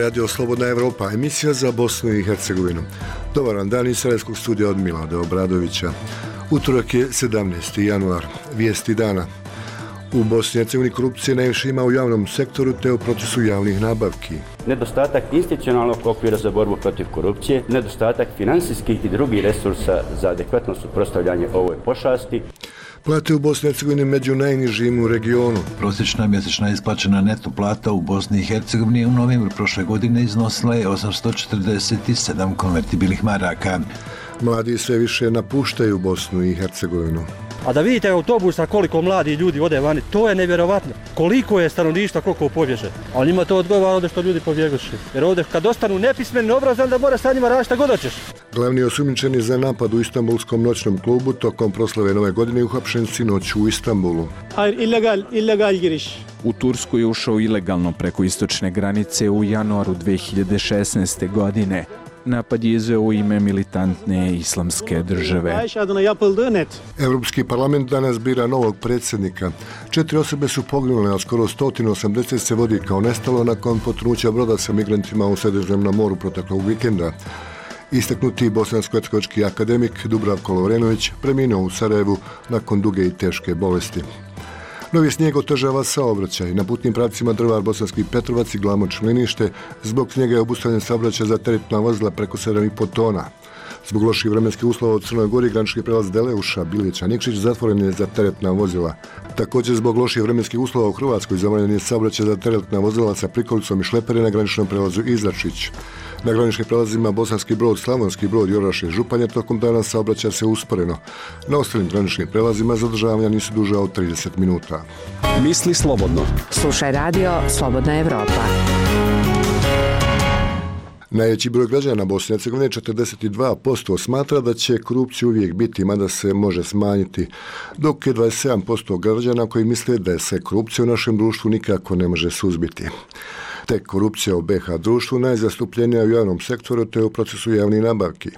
Radio Slobodna Evropa, emisija za Bosnu i Hercegovinu. Dobar vam dan iz Sarajevskog studija od Milada Obradovića. Utorak je 17. januar, vijesti dana. U Bosni i Hercegovini korupcije najviše ima u javnom sektoru te u procesu javnih nabavki. Nedostatak institucionalnog okvira za borbu protiv korupcije, nedostatak finansijskih i drugih resursa za adekvatno suprotstavljanje ovoj pošasti. Plate u Bosni i Hercegovini među najnižim u regionu. Prosječna mjesečna isplaćena neto plata u Bosni i Hercegovini u novembru prošle godine iznosila je 847 konvertibilnih maraka. Mladi sve više napuštaju Bosnu i Hercegovinu. A da vidite autobusa koliko mladi ljudi ode vani, to je nevjerovatno. Koliko je stanovništva, koliko pobježe. A njima to odgovara ovdje što ljudi pobjegoše. Jer ovdje kad ostanu nepismeni, obrazovani, da mora sa njima raditi šta god hoćeš. Glavni osumnjičeni za napad u Istanbulskom noćnom klubu tokom proslave Nove godine uhapšen sinoć u Istanbulu. Illegal giriş. U Tursku je ušao ilegalno preko istočne granice u januaru 2016. godine. Napad je izveo u ime militantne islamske države. Europski parlament danas bira novog predsjednika. 4 osobe su poginule, a skoro 180 se vodi kao nestalo nakon potonuća broda sa migrantima u Sredozemnom moru proteklog vikenda. Istaknuti bosansko-hercegovački akademik Dubravko Lovrenović preminuo u Sarajevu nakon duge i teške bolesti. Novi snijeg otežava saobraćaj. Na putnim pravcima Drvar-Bosanski Petrovac i Glamoč-Mlinište zbog snijega je obustavljen saobraćaj za teretna vozila preko 7,5 tona. Zbog loših vremenskih uslova u Crnoj Gori granični prelaz Deleuša, Bilića, Nikšić zatvoren je za teretna vozila. Također zbog loših vremenskih uslova u Hrvatskoj zabranjen je saobraćaj za teretna vozila sa prikolicom i šlepere na graničnom prelazu Izračić. Na graničnim prelazima Bosanski Brod, Slavonski Brod i Orašje Županje tokom dana saobraća se usporeno. Na ostalim graničnim prelazima zadržavanja nisu duža od 30 minuta. Misli slobodno. Slušaj radio Slobodna Evropa. Najveći broj građana Bosne i Hercegovine, 42%, smatra da će korupcija uvijek biti, mada se može smanjiti, dok je 27% građana koji misle da se korupcija u našem društvu nikako ne može suzbiti. Tek korupcija u BiH društvu najzastupljenija u javnom sektoru te u procesu javnih nabavki.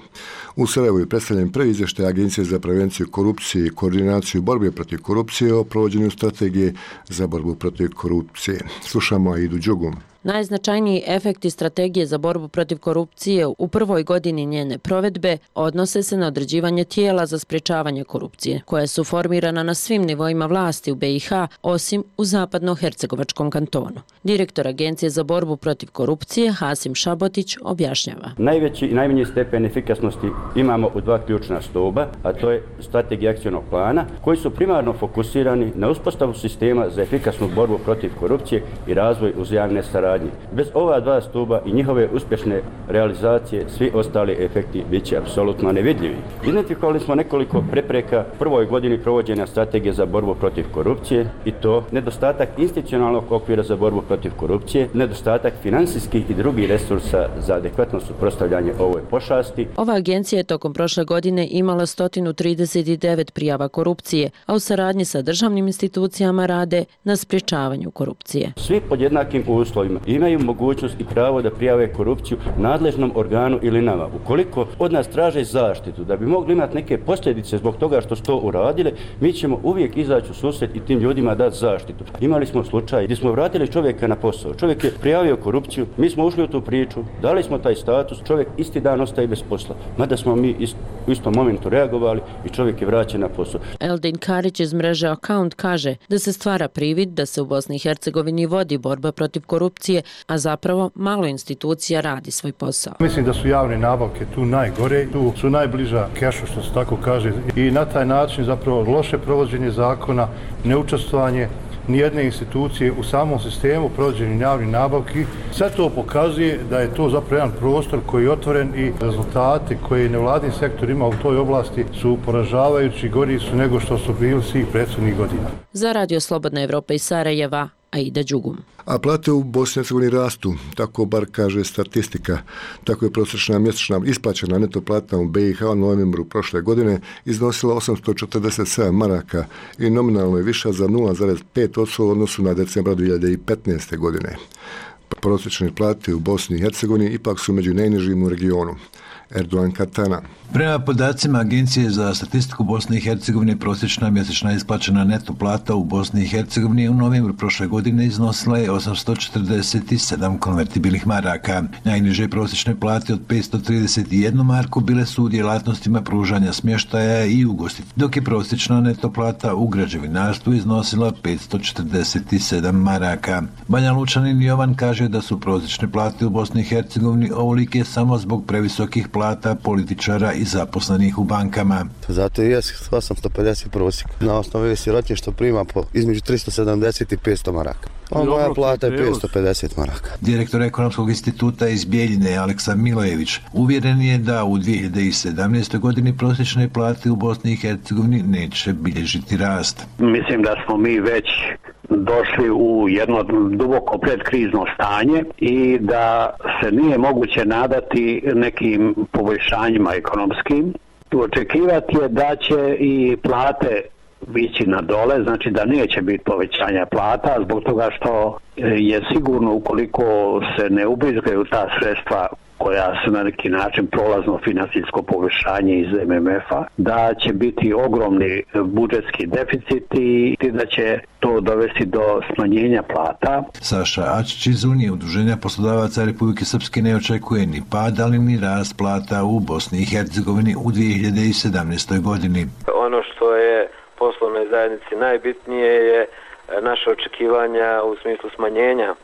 U Sarajevu je predstavljen prvi izvještaj Agencije za prevenciju korupcije i koordinaciju borbe protiv korupcije o provođenju strategije za borbu protiv korupcije. Slušamo Aidu Đugum. Najznačajniji efekti strategije za borbu protiv korupcije u prvoj godini njene provedbe odnose se na određivanje tijela za sprječavanje korupcije, koja su formirana na svim nivoima vlasti u BiH, osim u zapadno-hercegovačkom kantonu. Direktor Agencije za borbu protiv korupcije, Hasim Šabotić, objašnjava. Najveći i najmanji stepen efikasnosti imamo u dva ključna stuba, a to je strategija akcionog plana, koji su primarno fokusirani na uspostavu sistema za efikasnu borbu protiv korupcije i razvoj uzajamne saradnje. Bez ova dva stuba i njihove uspješne realizacije, svi ostali efekti bit će apsolutno nevidljivi. Identifikovali smo nekoliko prepreka prvoj godini provođenja strategije za borbu protiv korupcije, i to nedostatak institucionalnog okvira za borbu protiv korupcije, nedostatak finansijskih i drugih resursa za adekvatno suprotstavljanje ovoj pošasti. Ova agencija je tokom prošle godine imala 139 prijava korupcije, a u saradnji sa državnim institucijama rade na sprječavanju korupcije. Svi pod jednakim uslovima imaju mogućnost i pravo da prijave korupciju nadležnom organu ili nama. Ukoliko od nas traže zaštitu, da bi mogli imati neke posljedice zbog toga što su to uradile, mi ćemo uvijek izaći u susret i tim ljudima dati zaštitu. Imali smo slučaj gdje smo vratili čovjeka na posao. Čovjek je prijavio korupciju, mi smo ušli u tu priču, dali smo taj status, čovjek isti dan ostaje bez posla. Mada smo mi u istom momentu reagovali i čovjek je vraćen na posao. Eldin Karić iz mreže Account kaže da se stvara privid da se u Bosni i Hercegovini vodi borba protiv korupcije, a zapravo malo institucija radi svoj posao. Mislim da su javne nabavke tu najgore, tu su najbliža kešu, što se tako kaže, i na taj način zapravo loše provođenje zakona, neučestvovanje nijedne institucije u samom sistemu provođenja javnih nabavki. Sve to pokazuje da je to zapravo jedan prostor koji je otvoren i rezultati koje nevladin sektor ima u toj oblasti su poražavajući, gori su nego što su bili svih prethodnih godina. Za Radio Slobodna Evropa iz Sarajeva, Aida Đugum. A plate u Bosni i Hercegovini rastu, tako bar kaže statistika. Tako je prosječna mjesečna isplaćena neto plata u BiH u novembru prošle godine iznosila 847 maraka i nominalno je viša za 0,5% u odnosu na decembar 2015. godine. Prosječne plate u Bosni i Hercegovini ipak su među najnižim u regionu. Erdogan Katana. Prema podacima Agencije za statistiku Bosne i Hercegovine, prosječna mjesečna isplaćena neto plata u Bosni i Hercegovini u novembru prošle godine iznosila je 847 konvertibilnih maraka. Najniže prosječne plate od 531 marku bile su u djelatnostima pružanja smještaja i ugostiteljstva, dok je prosječna neto plata u građevinarstvu iznosila 547 maraka. Banja Lučanin Jovan kaže da su prosječne plate u Bosni i Hercegovini ovolike samo zbog previsokih plata političara i zaposlenih u bankama. Zato i je 850 prosjek. Na osnovi sirotinje što prima po između 370 i 500 maraka. Moja plata je 550 maraka. Direktor Ekonomskog instituta iz Bijeljine Aleksa Milojević uvjeren je da u 2017. godini prosječne plate u Bosni i Hercegovini neće bilježiti rast. Mislim da smo mi već došli u jedno duboko predkrizno stanje i da se nije moguće nadati nekim poboljšanjima ekonomskim. Očekivati je da će i plate ići na dole, znači da neće biti povećanja plata zbog toga što je sigurno ukoliko se ne ubrizgaju ta sredstva koja su na neki način prolazno financijsko poboljšanje iz MMF-a, da će biti ogromni budžetski deficiti i da će to dovesti do smanjenja plata. Saša Ačić iz Unije Udruženja poslodavaca Republike Srpske ne očekuje ni pad, ali ni rast plata u Bosni i Hercegovini u 2017. godini. Ono što je poslovnoj zajednici najbitnije je naše očekivanja u smislu smanjenja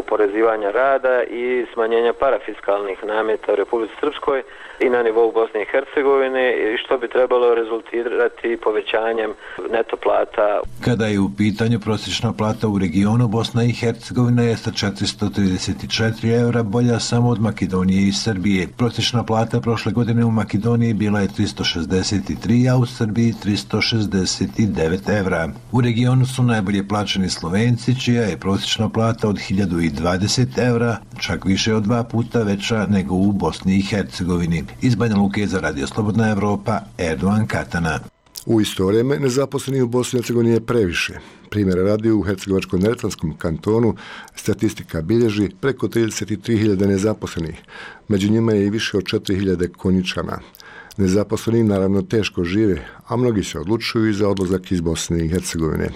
oporezivanja rada i smanjenja parafiskalnih nameta u Republici Srpskoj i na nivou Bosne i Hercegovine, što bi trebalo rezultirati povećanjem neto plata. Kada je u pitanju prosječna plata u regionu, Bosna i Hercegovina je sa 434 eura bolja samo od Makedonije i Srbije. Prosječna plata prošle godine u Makedoniji bila je 363, a u Srbiji 369 evra. U regionu su najbolje plaćeni Slovenci, čija je prosječna plata od 1020 evra, čak više od 2 puta veća nego u Bosni i Hercegovini. Iz Banja Luke za Radio Slobodna Evropa, Erdogan Katana. U isto vrijeme nezaposleni u Bosni i Hercegovini je previše. Primjera radi u Hercegovačko-neretvanskom kantonu statistika bilježi preko 33.000 nezaposlenih. Među njima je i više od 4.000 Konjičana. Nezaposleni naravno teško žive, a mnogi se odlučuju i za odlazak iz Bosne i Hercegovine.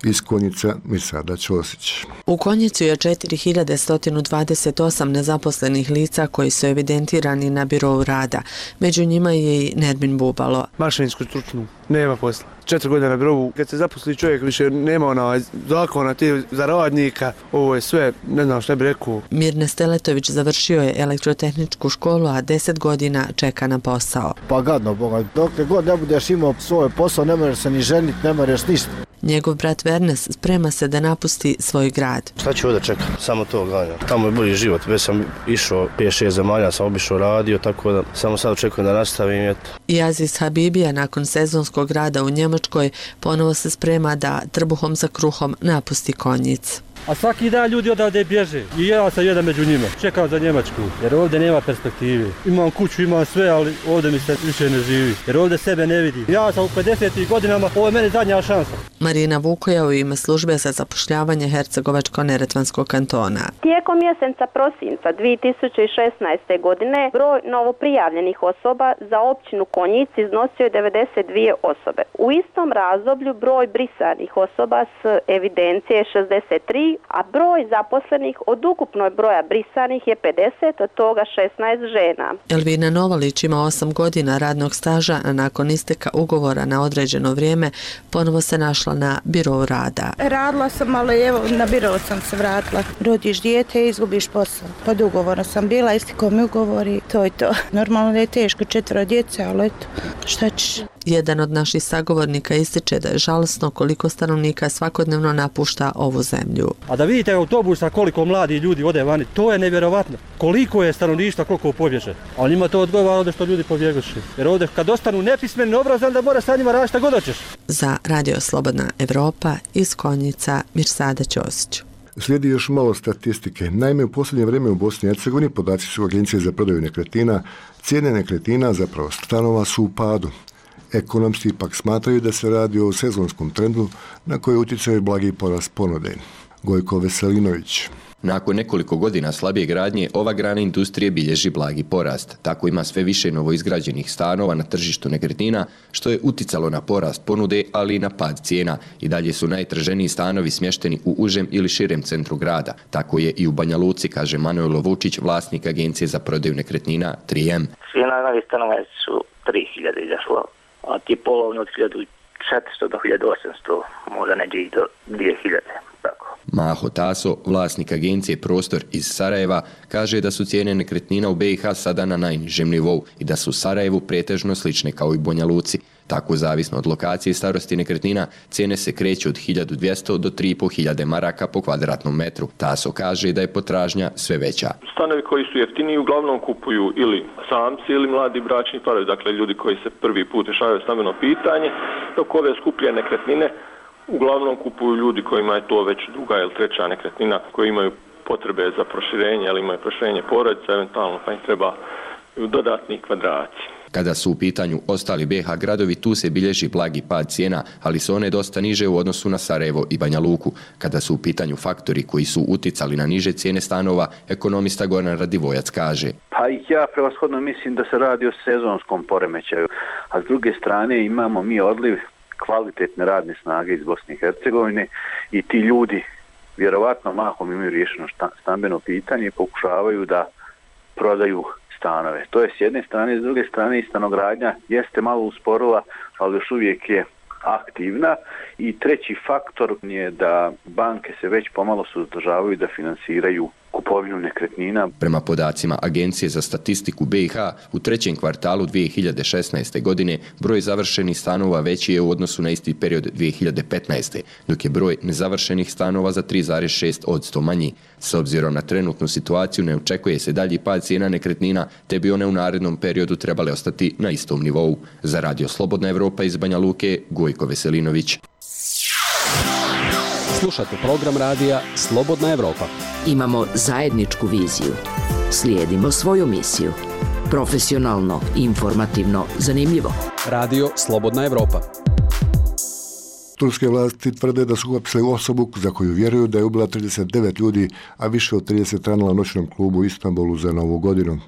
Iz Konjica Mirsada Ćosić. U Konjicu je 4128 nezaposlenih lica koji su evidentirani na birou rada. Među njima je i Nermin Bubalo. Mašinsku stručnu, nema posla. 4 godine na birovu. Kad se zaposli čovjek više nema zakona za radnika, ovo je sve, ne znam što bi rekao. Mirne Steletović završio je elektrotehničku školu, a 10 godina čeka na posao. Pa gadno, Boga, dok god ne budeš imao svoj posao, ne možeš se ni ženiti, ne možeš ništa. Njegov brat Vernes sprema se da napusti svoj grad. Šta ću ovdje čekati? Samo to gledam. Tamo je bolji život. Već sam išao 5-6 zemalja, sam obišao radio, tako da samo sad očekujem da nastavim. I Aziz Habibija nakon sezonskog rada u Njemačkoj ponovo se sprema da trbuhom za kruhom napusti Konjic. A svaki dan ljudi odavde bježe i ja sam jedan među njima. Čekam za Njemačku jer ovdje nema perspektive. Imam kuću, imam sve, ali ovdje mi se više ne živi jer ovdje sebe ne vidi. Ja sam u 50. godinama, ovo je meni zadnja šansa. Marina Vukoja u ime službe za zapošljavanje Hercegovačko-neretvanskog kantona. Tijekom mjeseca prosinca 2016. godine broj novoprijavljenih osoba za općinu Konjic iznosio je 92 osobe. U istom razdoblju broj brisanih osoba s evidencije je 63, a broj zaposlenih od ukupnog broja brisanih je 50, od toga 16 žena. Elvina Novalić ima 8 godina radnog staža, a nakon isteka ugovora na određeno vrijeme ponovo se našla na birou rada. Radila sam, ali evo na birou sam se vratila. Rodiš dijete i izgubiš posao. Pod ugovorom sam bila, istekao mi ugovor i to je to. Normalno da je teško, 4 djece, ali eto, šta ćeš? Jedan od naših sagovornika ističe da je žalosno koliko stanovnika svakodnevno napušta ovu zemlju. A da vidite autobusa koliko mladi ljudi ode vani, to je nevjerovatno. Koliko je stanovništva, koliko pobježe. A njima to odgovara ovdje što ljudi pobjegoše. Jer ovdje kad ostanu nepismeni, neobrazovani, da mora sa njima raditi šta god hoćeš. Za Radio Slobodna Evropa iz Konjica Mirsada Ćosić. Slijedi još malo statistike. Naime, u posljednje vrijeme u Bosni i Hercegovini podaci su Agencije za prodaju nekretnina. Cijene nekretnina, zapravo stanova, su u padu. Ekonomisti ipak smatraju da se radi o sezonskom trendu na koji utjecaju blagi porast ponude. Gojko Veselinović. Nakon nekoliko godina slabije gradnje, ova grana industrije bilježi blagi porast. Tako ima sve više novoizgrađenih stanova na tržištu nekretnina, što je uticalo na porast ponude, ali i na pad cijena. I dalje su najtraženiji stanovi smješteni u užem ili širem centru grada. Tako je i u Banja Luci, kaže Manojlo Vučić, vlasnik agencije za prodaju nekretnina 3M. Cijena novih stanova su 3000 izašlo, a ti polovni od 1400 do 1800, možda neđe i do 2000. Tako. Maho Taso, vlasnik agencije Prostor iz Sarajeva, kaže da su cijene nekretnina u BiH sada na najnižem nivou i da su u Sarajevu pretežno slične kao i Banja Luci. Tako, zavisno od lokacije i starosti nekretnina, cijene se kreću od 1200 do 3500 maraka po kvadratnom metru. Taso kaže da je potražnja sve veća. Stanovi koji su jeftiniji uglavnom kupuju ili samci ili mladi bračni parovi, dakle ljudi koji se prvi put rješavaju stambeno pitanje, dok ove skuplje nekretnine uglavnom kupuju ljudi kojima je to već druga ili treća nekretnina, koji imaju potrebe za proširenje, ali imaju proširenje porodica, eventualno pa im treba dodatni kvadrati. Kada su u pitanju ostali BiH gradovi, tu se bilježi blagi pad cijena, ali su one dosta niže u odnosu na Sarajevo i Banja Luku. Kada su u pitanju faktori koji su uticali na niže cijene stanova, ekonomista Goran Radivojac kaže: Pa ja prevashodno mislim da se radi o sezonskom poremećaju, a s druge strane imamo mi odliv kvalitetne radne snage iz Bosne i Hercegovine i ti ljudi vjerovatno mahom imaju riješeno stambeno pitanje i pokušavaju da prodaju stanove. To je s jedne strane, s druge strane i stanogradnja jeste malo usporila, ali još uvijek je aktivna. I treći faktor je da banke se već pomalo suzdržavaju da finansiraju kupovinu nekretnina. Prema podacima Agencije za statistiku BiH, u trećem kvartalu 2016. godine broj završenih stanova veći je u odnosu na isti period 2015. dok je broj nezavršenih stanova za 3,6% manji. S obzirom na trenutnu situaciju ne očekuje se dalji pad cijena nekretnina, te bi one u narednom periodu trebale ostati na istom nivou. Za Radio Slobodna Evropa iz Banja Luke, Gojko Veselinović. Slušate program radija Slobodna Evropa. Imamo zajedničku viziju. Slijedimo svoju misiju. Profesionalno, informativno, zanimljivo. Radio Slobodna Evropa. Turske vlasti tvrde da su uhapsili osobu za koju vjeruju da je ubila 39 ljudi, a više od 30 ranila u noćnom klubu u Istanbulu za Novu godinu.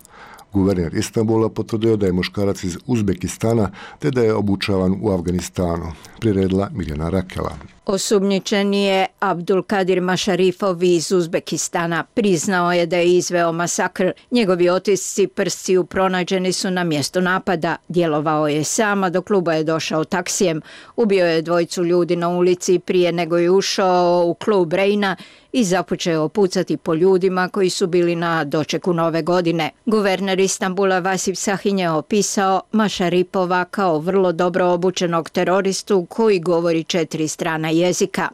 Guverner Istanbula potvrdio da je muškarac iz Uzbekistana te da je obučavan u Afganistanu. Priredila Mirjana Rakela. Osumnjičeni je Abdulkadir Mašarifov iz Uzbekistana. Priznao je da je izveo masakr. Njegovi otisci prstiju pronađeni su na mjestu napada. Djelovao je sam, a do kluba je došao taksijem. Ubio je dvojicu ljudi na ulici prije nego je ušao u klub Reina i započeo pucati po ljudima koji su bili na dočeku Nove godine. Guverner Istanbula Vasif Sahin je opisao Mašaripova kao vrlo dobro obučenog teroristu koji govori 4 strana jezika.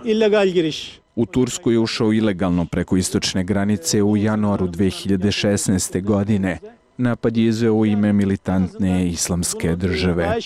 Illegal giriş. U Tursku je ušao ilegalno preko istočne granice u januaru 2016. godine. Napad je izveo u ime militantne islamske države.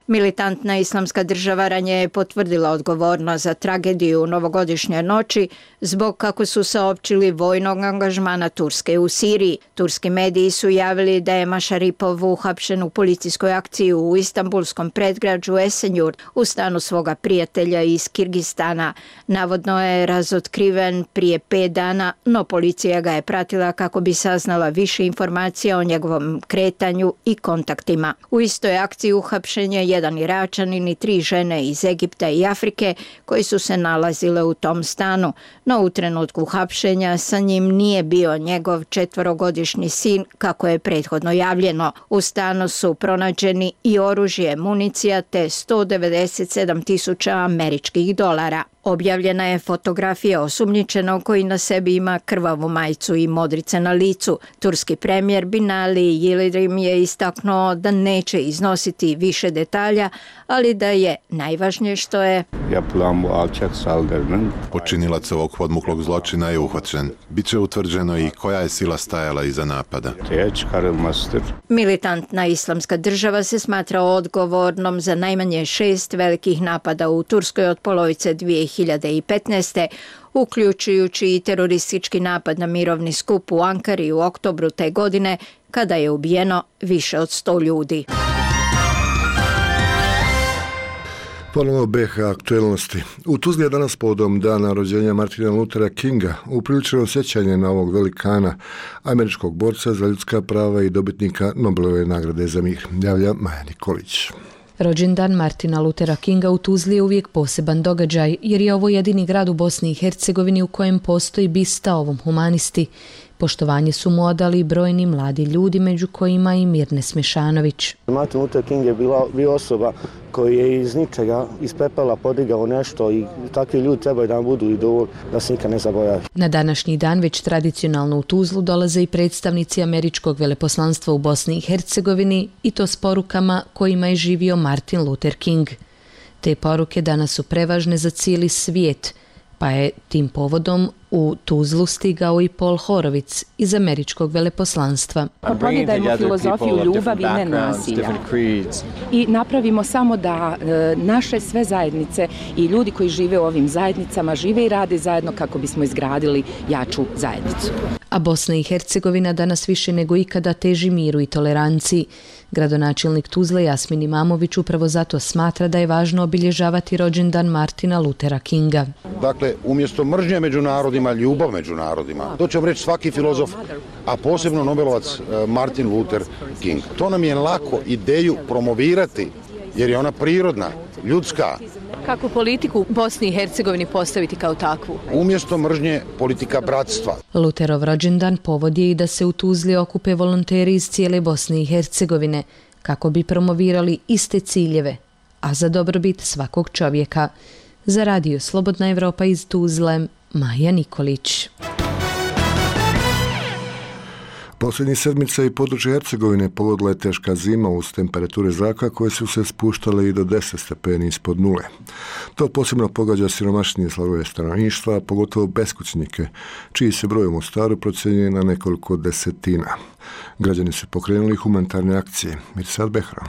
Militantna islamska država ranije je potvrdila odgovornost za tragediju novogodišnje noći zbog, kako su saopćili, vojnog angažmana Turske u Siriji. Turski mediji su javili da je Mašaripov uhapšen u policijskoj akciji u istanbulskom predgrađu Esenjurt u stanu svoga prijatelja iz Kirgistana. Navodno je razotkriven prije 5 dana, no policija ga je pratila kako bi saznala više informacija o njegovom kretanju i kontaktima. U istoj akciji uhapšen je jedan Iračanin i 3 žene iz Egipta i Afrike koji su se nalazile u tom stanu, no u trenutku hapšenja sa njim nije bio njegov 4-godišnji sin kako je prethodno javljeno. U stanu su pronađeni i oružje, municija te 197.000 američkih dolara. Objavljena je fotografija osumnjičenog koji na sebi ima krvavu majicu i modrice na licu. Turski premijer Binali Yildirim je istaknuo da neće iznositi više detalja, ali da je najvažnije što je počinilac ovog podmuklog zločina je uhvaćen. Biće utvrđeno i koja je sila stajala iza napada. Militantna islamska država se smatra odgovornom za najmanje 6 velikih napada u Turskoj od polovice 2015. uključujući i teroristički napad na mirovni skup u Ankari u oktobru te godine, kada je ubijeno više od 100 ljudi. Ponovo BiH aktuelnosti. U Tuzli je danas povodom dana rođenja Martina Luthera Kinga upriličeno sjećanje na ovog velikana, američkog borca za ljudska prava i dobitnika Nobelove nagrade za mir. Javlja Maja Nikolić. Rođendan Martina Luthera Kinga u Tuzli je uvijek poseban događaj, jer je ovo jedini grad u Bosni i Hercegovini u kojem postoji bista ovom humanisti. Poštovanje su mu odali brojni mladi ljudi, među kojima i Mirne Smešanović. Martin Luther King je bio osoba koji je iz ničega, iz pepela podigao nešto i takvi ljudi trebaju da nam budu idol, da se nikad ne zaboravi. Na današnji dan već tradicionalno u Tuzlu dolaze i predstavnici američkog veleposlanstva u Bosni i Hercegovini i to s porukama kojima je živio Martin Luther King. Te poruke danas su prevažne za cijeli svijet, pa je tim povodom u Tuzlu stigao i Paul Horovic iz američkog veleposlanstva. Pogledajmo filozofiju ljubavi i nenasilja i napravimo samo da naše sve zajednice i ljudi koji žive u ovim zajednicama žive i rade zajedno kako bismo izgradili jaču zajednicu. A Bosna i Hercegovina danas više nego ikada teži miru i toleranciji. Gradonačelnik Tuzle Jasmin Imamović upravo zato smatra da je važno obilježavati rođendan Martina Luthera Kinga. Dakle, umjesto mržnje među narodima, ljubav među narodima. To će vam reći svaki filozof, a posebno Nobelovac Martin Luther King. To nam je lako ideju promovirati, jer je ona prirodna, ljudska. Kako politiku u Bosni i Hercegovini postaviti kao takvu? Umjesto mržnje, politika bratstva. Lutherov rođendan povod je i da se u Tuzli okupe volonteri iz cijele Bosne i Hercegovine, kako bi promovirali iste ciljeve, a za dobrobit svakog čovjeka. Za radio Slobodna Evropa iz Tuzle, Maja Nikolić. Posljednjih sedmica i područje Hercegovine pogodila je teška zima uz temperature zraka koje su se spuštale i do 10 stepeni ispod nule. To posebno pogađa siromašnije slojeve stanovništva, pogotovo beskućnike, čiji se broj u Mostaru procjenjuje na nekoliko desetina. Građani su pokrenuli humanitarne akcije. Mirsad Behram.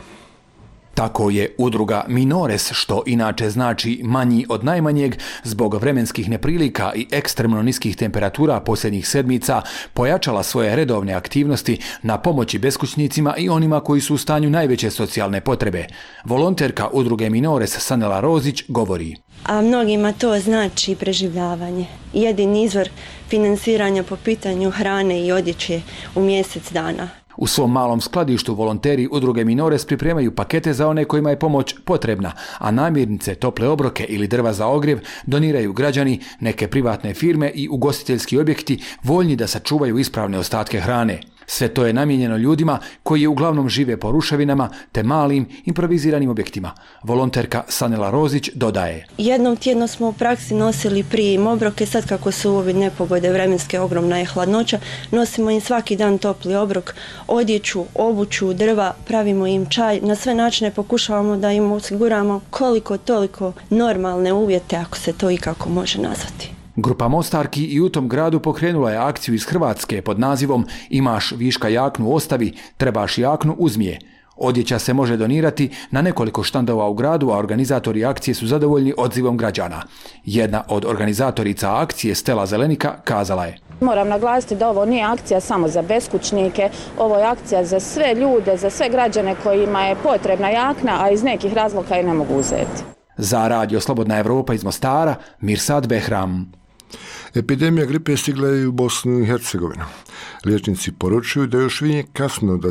Tako je udruga Minores, što inače znači manji od najmanjeg, zbog vremenskih neprilika i ekstremno niskih temperatura posljednjih sedmica, pojačala svoje redovne aktivnosti na pomoći beskućnicima i onima koji su u stanju najveće socijalne potrebe. Volonterka udruge Minores Sanela Rozić govori. A mnogima to znači preživljavanje. Jedini izvor finansiranja po pitanju hrane i odjeće u mjesec dana. U svom malom skladištu volonteri udruge Minores pripremaju pakete za one kojima je pomoć potrebna, a namirnice, tople obroke ili drva za ogrjev doniraju građani, neke privatne firme i ugostiteljski objekti voljni da sačuvaju ispravne ostatke hrane. Sve to je namijenjeno ljudima koji uglavnom žive po ruševinama te malim improviziranim objektima. Volonterka Sanela Rozić dodaje. Jednom tjedno smo u praksi nosili prije im obroke, sad kako su ove nepogode vremenske, ogromna je hladnoća, nosimo im svaki dan topli obrok, odjeću, obuću, drva, pravimo im čaj, na sve načine pokušavamo da im osiguramo koliko toliko normalne uvjete, ako se to ikako može nazvati. Grupa Mostarki i u tom gradu pokrenula je akciju iz Hrvatske pod nazivom Imaš viška jaknu ostavi, trebaš jaknu uzmije. Odjeća se može donirati na nekoliko štandova u gradu, a organizatori akcije su zadovoljni odzivom građana. Jedna od organizatorica akcije, Stela Zelenika, kazala je. Moram naglasiti da ovo nije akcija samo za beskućnike, ovo je akcija za sve ljude, za sve građane kojima je potrebna jakna, a iz nekih razloga je ne mogu uzeti. Za radio Slobodna Evropa iz Mostara, Mirsad Behram. Epidemija gripe stigla je u Bosnu i Hercegovinu. Liječnici poručuju da još nije kasno da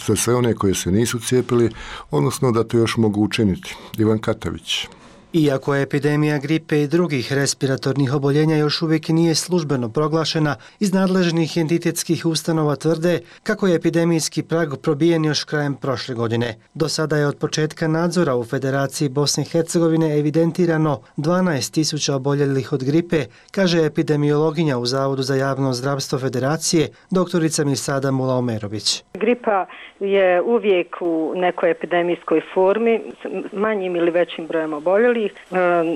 za sve one koje se nisu cijepili, odnosno da to još mogu učiniti. Ivan Katavić. Iako je epidemija gripe i drugih respiratornih oboljenja još uvijek nije službeno proglašena, iz nadležnih entitetskih ustanova tvrde kako je epidemijski prag probijen još krajem prošle godine. Do sada je od početka nadzora u Federaciji Bosne i Hercegovine evidentirano 12.000 oboljelih od gripe, kaže epidemiologinja u Zavodu za javno zdravstvo Federacije, doktorica Mirsada Mulaomerović. Gripa je uvijek u nekoj epidemijskoj formi, s manjim ili većim brojem oboljelih,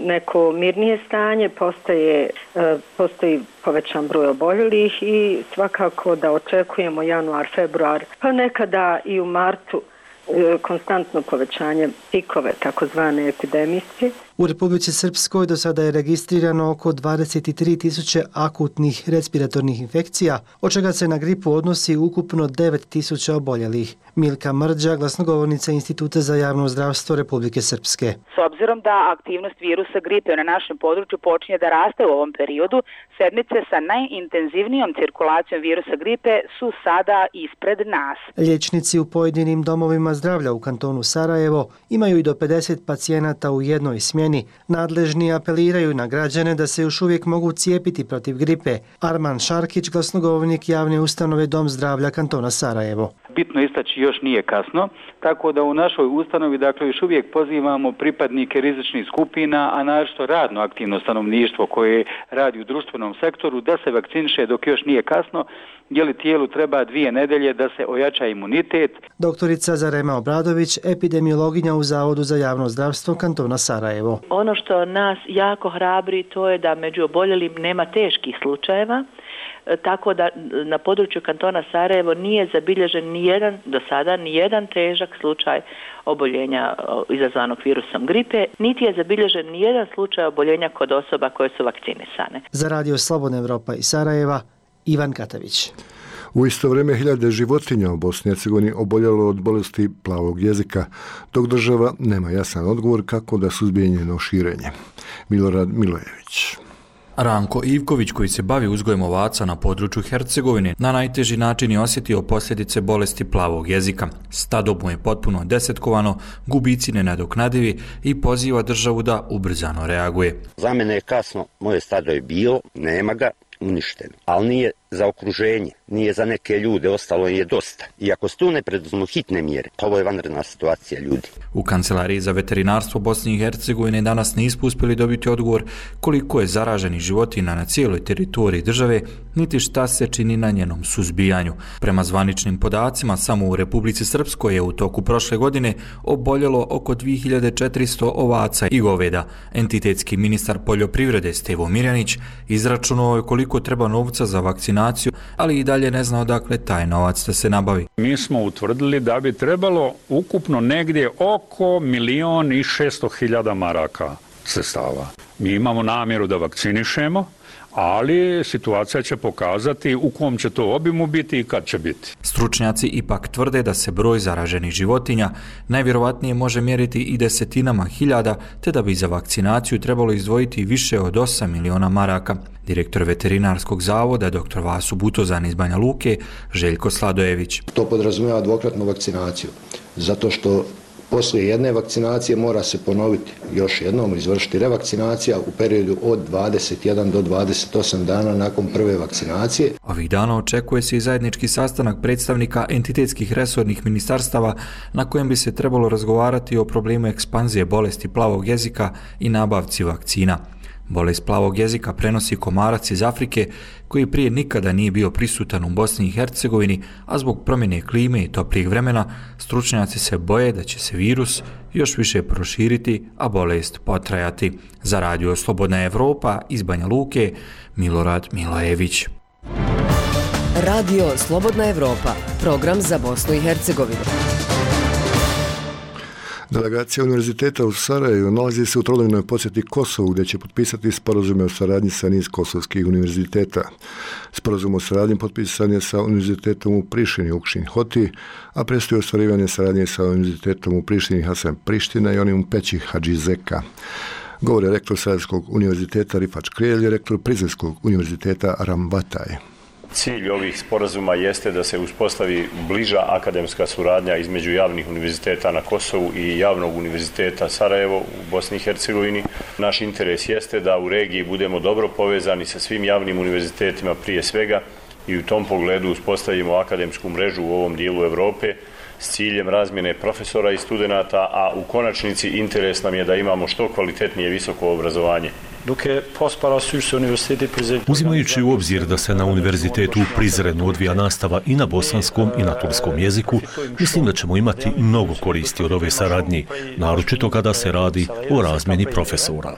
neko mirnije stanje, postoji povećan broj oboljelih i svakako da očekujemo januar, februar, pa nekada i u martu konstantno povećanje pikove, takozvane epidemijske. U Republici Srpskoj do sada je registrirano oko 23.000 akutnih respiratornih infekcija, od čega se na gripu odnosi ukupno 9.000 oboljelih. Milka Mrđa, glasnogovornica Instituta za javno zdravstvo Republike Srpske. S obzirom da aktivnost virusa gripe na našem području počinje da raste u ovom periodu, sedmice sa najintenzivnijom cirkulacijom virusa gripe su sada ispred nas. Liječnici u pojedinim domovima zdravlja u kantonu Sarajevo imaju i do 50 pacijenata u jednoj smjeni. Nadležni apeliraju na građane da se još uvijek mogu cijepiti protiv gripe. Arman Šarkić, glasnogovornik javne ustanove Dom zdravlja kantona Sarajevo. Bitno istaći, još nije kasno, tako da u našoj ustanovi još uvijek pozivamo pripadnike rizičnih skupina, a naročito radno aktivno stanovništvo koje radi u društvenom sektoru da se vakciniše dok još nije kasno, jer tijelu treba 2 nedelje da se ojača imunitet. Doktorica Zarema Obradović, epidemiologinja u Zavodu za javno zdravstvo kantona Sarajevo. Ono što nas jako hrabri to je da među oboljelim nema teških slučajeva, tako da na području kantona Sarajevo nije zabilježen do sada nijedan težak slučaj oboljenja izazvanog virusom gripe, niti je zabilježen nijedan slučaj oboljenja kod osoba koje su vakcinisane. Za Radio Slobodna Evropa iz Sarajeva, Ivan Katavić. U isto vrijeme hiljade životinja u Bosni i Hercegovini oboljelo od bolesti plavog jezika, dok država nema jasan odgovor kako da suzbije njeno širenje. Milorad Milojević. Ranko Ivković, koji se bavi uzgojem ovaca na području Hercegovine, na najteži način je osjetio posljedice bolesti plavog jezika. Stado mu je potpuno desetkovano, gubici nenadoknadivi i poziva državu da ubrzano reaguje. Za mene je kasno, moje stado je bilo, nema ga, uništeno. Ali nije za okruženje, nije za neke ljude, ostalo je dosta. I ako se tu ne preduzmu hitne mjere, ovo je vanredna situacija ljudi. U Kancelariji za veterinarstvo Bosne i Hercegovine danas nismo uspjeli dobiti odgovor koliko je zaraženih životinja na cijeloj teritoriji države, niti šta se čini na njenom suzbijanju. Prema zvaničnim podacima, samo u Republici Srpskoj je u toku prošle godine oboljelo oko 2400 ovaca i goveda. Entitetski ministar poljoprivrede Stevo Mirjanić izračunao je koliko treba novca za vakcinaciju, ali i dalje ne zna odakle taj novac da se nabavi. Mi smo utvrdili da bi trebalo ukupno negdje oko 1.600.000 maraka sredstava. Mi imamo namjeru da vakcinišemo, ali situacija će pokazati u kom će to obimu biti i kad će biti. Stručnjaci ipak tvrde da se broj zaraženih životinja najvjerovatnije može mjeriti i desetinama hiljada, te da bi za vakcinaciju trebalo izdvojiti više od 8 miliona maraka. Direktor veterinarskog zavoda, dr. Vasu Butozan iz Banja Luke, Željko Sladojević. To podrazumijeva dvokratnu vakcinaciju, zato što poslije jedne vakcinacije mora se ponoviti još jednom, izvršiti revakcinacija u periodu od 21 do 28 dana nakon prve vakcinacije. Ovih dana očekuje se i zajednički sastanak predstavnika entitetskih resornih ministarstava na kojem bi se trebalo razgovarati o problemu ekspanzije bolesti plavog jezika i nabavci vakcina. Bolest plavog jezika prenosi komarac iz Afrike koji prije nikada nije bio prisutan u Bosni i Hercegovini, a zbog promjene klime i toplijeg vremena stručnjaci se boje da će se virus još više proširiti, a bolest potrajati. Za Radio Slobodna Evropa iz Banja Luke, Milorad Milojević. Radio Slobodna Evropa, program za Bosnu i Hercegovinu. Delegacija Univerziteta u Sarajevu nalazi se u trodnevnoj posjeti Kosovu, gdje će potpisati sporazume o saradnji sa niz kosovskih univerziteta. Sporazum o saradnji potpisan je sa Univerzitetom u Prištini Ukšin Hoti, a predstoji ostvarivanje saradnje sa Univerzitetom u Prištini Hasan Priština i onim u Peći Hadži Zeka. Govori rektor Sarajevskog univerziteta Rifat Škrijelj i rektor Prizrenskog univerziteta Ram Bataj. Cilj ovih sporazuma jeste da se uspostavi bliža akademska suradnja između javnih univerziteta na Kosovu i javnog univerziteta Sarajevo u Bosni i Hercegovini. Naš interes jeste da u regiji budemo dobro povezani sa svim javnim univerzitetima prije svega i u tom pogledu uspostavimo akademsku mrežu u ovom dijelu Europe s ciljem razmjene profesora i studenata, a u konačnici interes nam je da imamo što kvalitetnije visoko obrazovanje. Uzimajući u obzir da se na univerzitetu u Prizrenu odvija nastava i na bosanskom i na turskom jeziku, mislim da ćemo imati mnogo koristi od ove saradnje, naročito kada se radi o razmjeni profesora.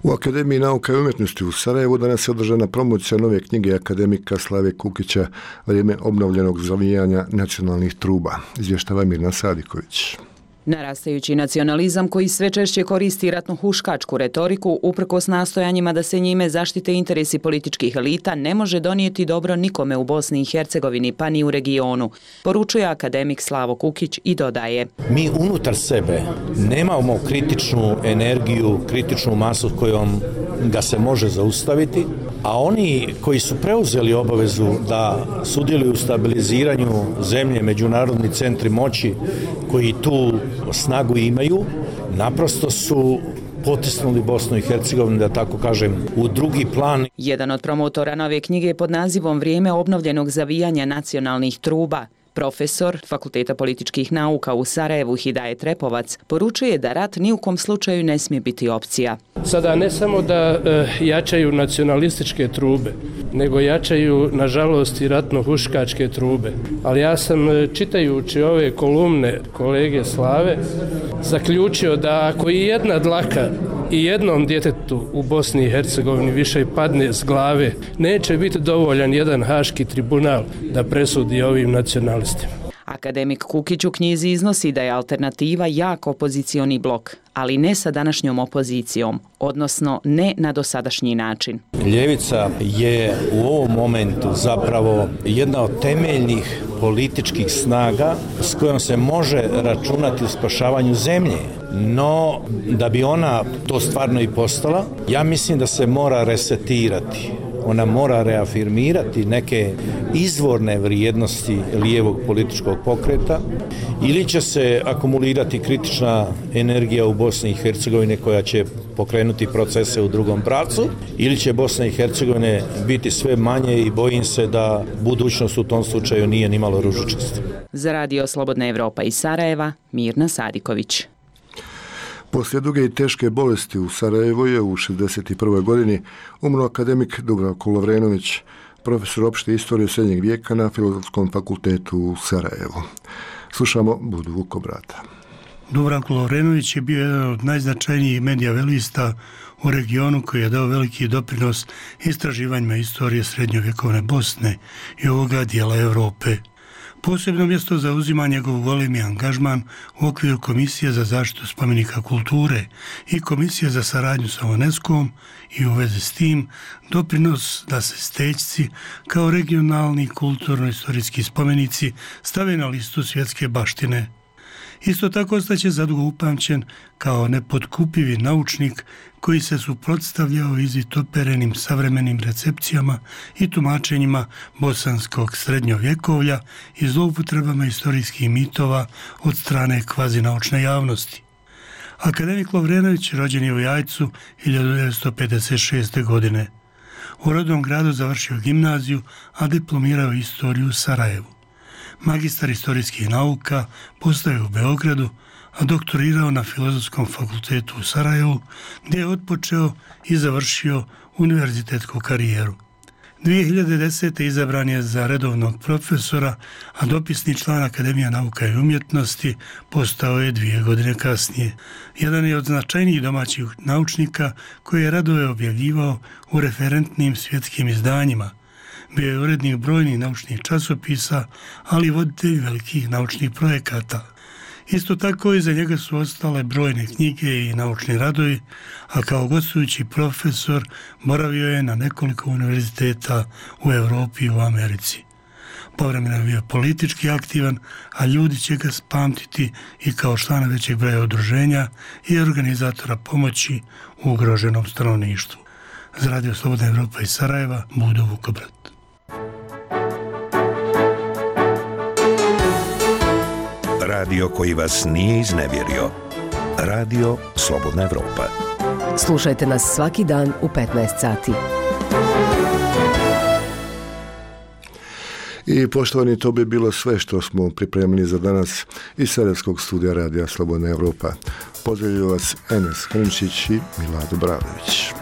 U Akademiji nauka i umjetnosti u Sarajevu danas je održana promocija nove knjige akademika Slave Kukića Vrijeme obnovljenog zavijanja nacionalnih truba. Izvještava Mirna Sadiković. Narastajući nacionalizam koji sve češće koristi ratnohuškačku retoriku uprkos nastojanjima da se njime zaštite interesi političkih elita ne može donijeti dobro nikome u Bosni i Hercegovini pa ni u regionu, poručuje akademik Slavo Kukić i dodaje. Mi unutar sebe nemamo kritičnu energiju, kritičnu masu kojom ga se može zaustaviti, a oni koji su preuzeli obavezu da sudjeluju u stabiliziranju zemlje, međunarodni centri moći koji tu snagu imaju, naprosto su potisnuli Bosnu i Hercegovinu, da tako kažem, u drugi plan. Jedan od promotora nove knjige pod nazivom Vrijeme obnovljenog zavijanja nacionalnih truba, profesor Fakulteta političkih nauka u Sarajevu Hidajet Repovac, poručuje da rat ni u kom slučaju ne smije biti opcija. Sada ne samo da jačaju nacionalističke trube, nego jačaju, nažalost, i ratno-huškačke trube. Ali ja sam, čitajući ove kolumne kolege Slave, zaključio da ako i jedna dlaka i jednom djetetu u Bosni i Hercegovini više padne s glave, neće biti dovoljan jedan haški tribunal da presudi ovim nacionalistima. Akademik Kukić u knjizi iznosi da je alternativa jak opozicioni blok, ali ne sa današnjom opozicijom, odnosno ne na dosadašnji način. Ljevica je u ovom momentu zapravo jedna od temeljnih političkih snaga s kojom se može računati u spašavanju zemlje. No, da bi ona to stvarno i postala, ja mislim da se mora resetirati. Ona mora reafirmirati neke izvorne vrijednosti lijevog političkog pokreta ili će se akumulirati kritična energija u Bosni i Hercegovini koja će pokrenuti procese u drugom pravcu ili će Bosna i Hercegovina biti sve manje i bojim se da budućnost u tom slučaju nije ni malo ružičasta. Za Radio Slobodna Evropa iz Sarajeva, Mirna Sadiković. Poslije duge i teške bolesti u Sarajevu je u 61. godini umro akademik Dubravko Lovrenović, profesor opšte istorije srednjeg vijeka na Filozofskom fakultetu u Sarajevu. Slušamo Budu Vukobrata. Dubravko Lovrenović je bio jedan od najznačajnijih medijavelista u regionu koji je dao veliki doprinos istraživanjima istorije srednjovjekovne Bosne i ovoga dijela Europe. Posebno mjesto zauzima njegov golemi angažman u okviru Komisije za zaštitu spomenika kulture i Komisije za saradnju sa UNESCO-om i u vezi s tim doprinos da se Stećci kao regionalni kulturno-istorijski spomenici stave na listu svjetske baštine. Isto tako ostaće zadugo upamćen kao nepotkupivi naučnik koji se suprotstavljao izvitoperenim savremenim recepcijama i tumačenjima bosanskog srednjovjekovlja i zloupotrebama istorijskih mitova od strane kvazinaučne javnosti. Akademik Lovrenović rođen je u Jajcu 1956. godine. U rodnom gradu završio gimnaziju, a diplomirao istoriju u Sarajevu. Magistar istorijskih nauka postao je u Beogradu, a doktorirao na Filozofskom fakultetu u Sarajevu, gdje je otpočeo i završio univerzitetsku karijeru. 2010. izabran je za redovnog profesora, a dopisni član Akademije nauka i umjetnosti postao je 2 godine kasnije. Jedan je od značajnijih domaćih naučnika koji je radove objavljivao u referentnim svjetskim izdanjima. Bio je urednik brojnih naučnih časopisa, ali i voditelj velikih naučnih projekata. Isto tako iza njega su ostale brojne knjige i naučni radovi, a kao gostujući profesor boravio je na nekoliko univerziteta u Europi i u Americi. Povremeno je bio politički aktivan, a ljudi će ga pamtiti i kao člana većeg broja udruženja i organizatora pomoći u ugroženom stanovništvu. Za Radio Slobodna Evropa iz Sarajeva, Budo Vukobrat. Radio koji vas nije iznevjerio. Radio Slobodna Evropa. Slušajte nas svaki dan u 15 sati. I poštovani, to bi bilo sve što smo pripremili za danas iz Sarajevskog studija Radija Slobodna Evropa. Pozdravljaju vas Enes Hrnčić i Milado Bravović.